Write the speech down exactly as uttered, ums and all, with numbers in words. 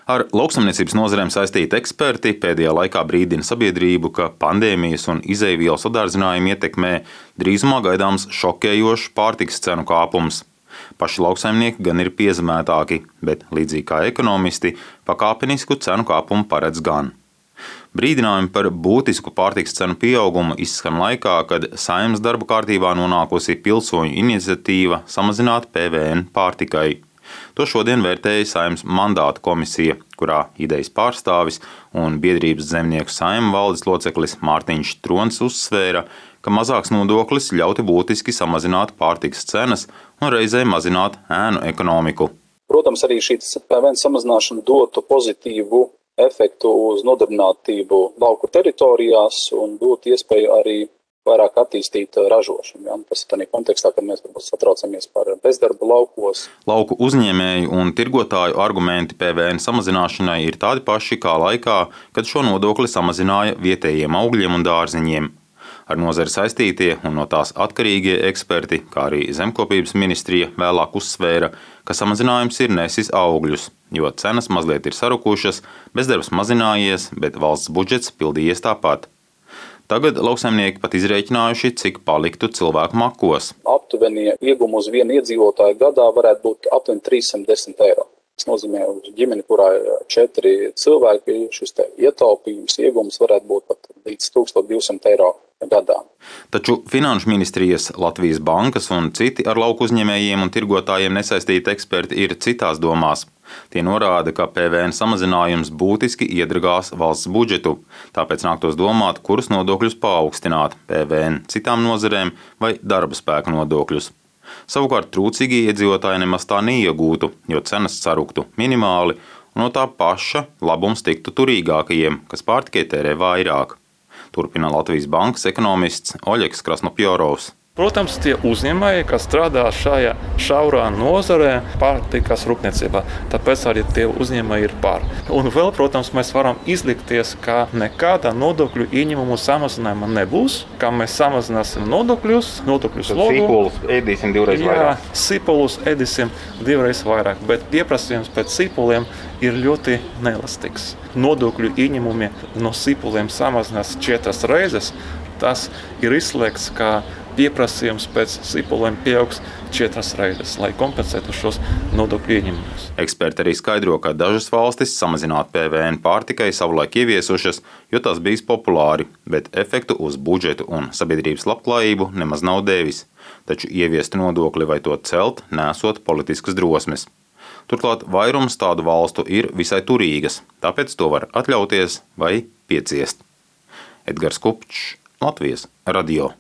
Ar lauksaimniecības nozarēm saistīti eksperti pēdējā laikā brīdina sabiedrību, ka pandēmijas un izejvielu sadārdzinājumu ietekmē drīzumā gaidāms šokējošs pārtikas cenu kāpums. Paši lauksaimnieki gan ir piezemētāki, bet līdzīgi kā ekonomisti, pakāpenisku cenu kāpumu paredz gan. Brīdinājumi par būtisku pārtikas cenu pieaugumu izskan laikā, kad Saeimas darba kārtībā nonākusi pilsoņu iniciatīva samazināt P V N pārtikai. To šodien vērtēja Saeimas mandāta komisija, kurā idejas pārstāvis un biedrības Zemnieku Saeima valdes loceklis Mārtiņš Trons uzsvēra, ka mazāks nodoklis ļautu būtiski samazināt pārtikas cenas un reizē mazināt ēnu ekonomiku. Protams, arī šī P V N samazināšana dotu pozitīvu efektu uz nodarbinātību lauku teritorijās un dotu iespēju arī vairāk attīstīt ražošanu. Ja? Tas ir tādā kontekstā, kad mēs varbūt satraucamies par bezdarbu laukos. Lauku uzņēmēju un tirgotāju argumenti P V N samazināšanai ir tādi paši kā laikā, kad šo nodokli samazināja vietējiem augļiem un dārziņiem. Ar nozari saistītie un no tās atkarīgie eksperti, kā arī Zemkopības ministrija vēlāk uzsvēra, ka samazinājums ir nesis augļus, jo cenas mazliet ir sarukušas, bezdarbs mazinājies, bet valsts budžets pildījies tāpat. Tagad lauksaimnieki pat izrēķinājuši, cik paliktu cilvēku makos. Aptuveni iegūmu uz vienu iedzīvotāju gadā varētu būt aptuveni trīssimt desmit eiro. Tas nozīmē, uz ģimeni, kurā ir četri cilvēki, šis te ietaupījums, iegūms varētu būt pat līdz tūkstoš divsimt eiro gadā. Taču Finanšu ministrijas, Latvijas bankas un citi ar lauku uzņēmējiem un tirgotājiem nesaistīti eksperti ir citās domās. Tie norāda, ka P V N samazinājums būtiski iedragās valsts budžetu, tāpēc nāktos domāt, kurus nodokļus paaugstināt – P V N citām nozarēm vai darba spēka nodokļus. Savukārt trūcīgie iedzīvotāji nemaz tā neiegūtu, jo cenas saruktu minimāli un no tā paša labums tiktu turīgākajiem, kas pārtikai tērē vairāk. Turpina Latvijas bankas ekonomists Oļegs Krasnopjorovs. Protams, tie uzņēmēji, kas strādā šajā šaurā nozarē pārtikas rūpniecībā, tāpēc arī tie uzņēmēji ir pār. Un vēl, protams, mēs varam izlikties, ka nekāda nodokļu ieņemumu samazinājuma nebūs, ka mēs samazināsim nodokļus, nodokļu slogu. Sīpolus ēdīsim divreiz vairāk. Jā, sīpolus ēdīsim divreiz vairāk, bet pieprasījums pēc sīpoliem ir ļoti neelastīgs. Nodokļu ieņemumi no sīpoliem samazinās četras reizes, tas ir izslēgts, ka pieprasījums pēc sīpoliem pieaugs četras reizes, lai kompensētu šos nodokļu ieņemumus. Eksperti arī skaidro, ka dažas valstis samazināt P V N pārtikai savulaik ieviesušas, jo tas bijis populāri, bet efektu uz budžetu un sabiedrības labklājību nemaz nav devis. Taču ieviest nodokli vai to celt, nesot politiskas drosmes. Turklāt vairums tādu valstu ir visai turīgas, tāpēc to var atļauties vai pieciest. Edgars Kupčs, Latvijas radio.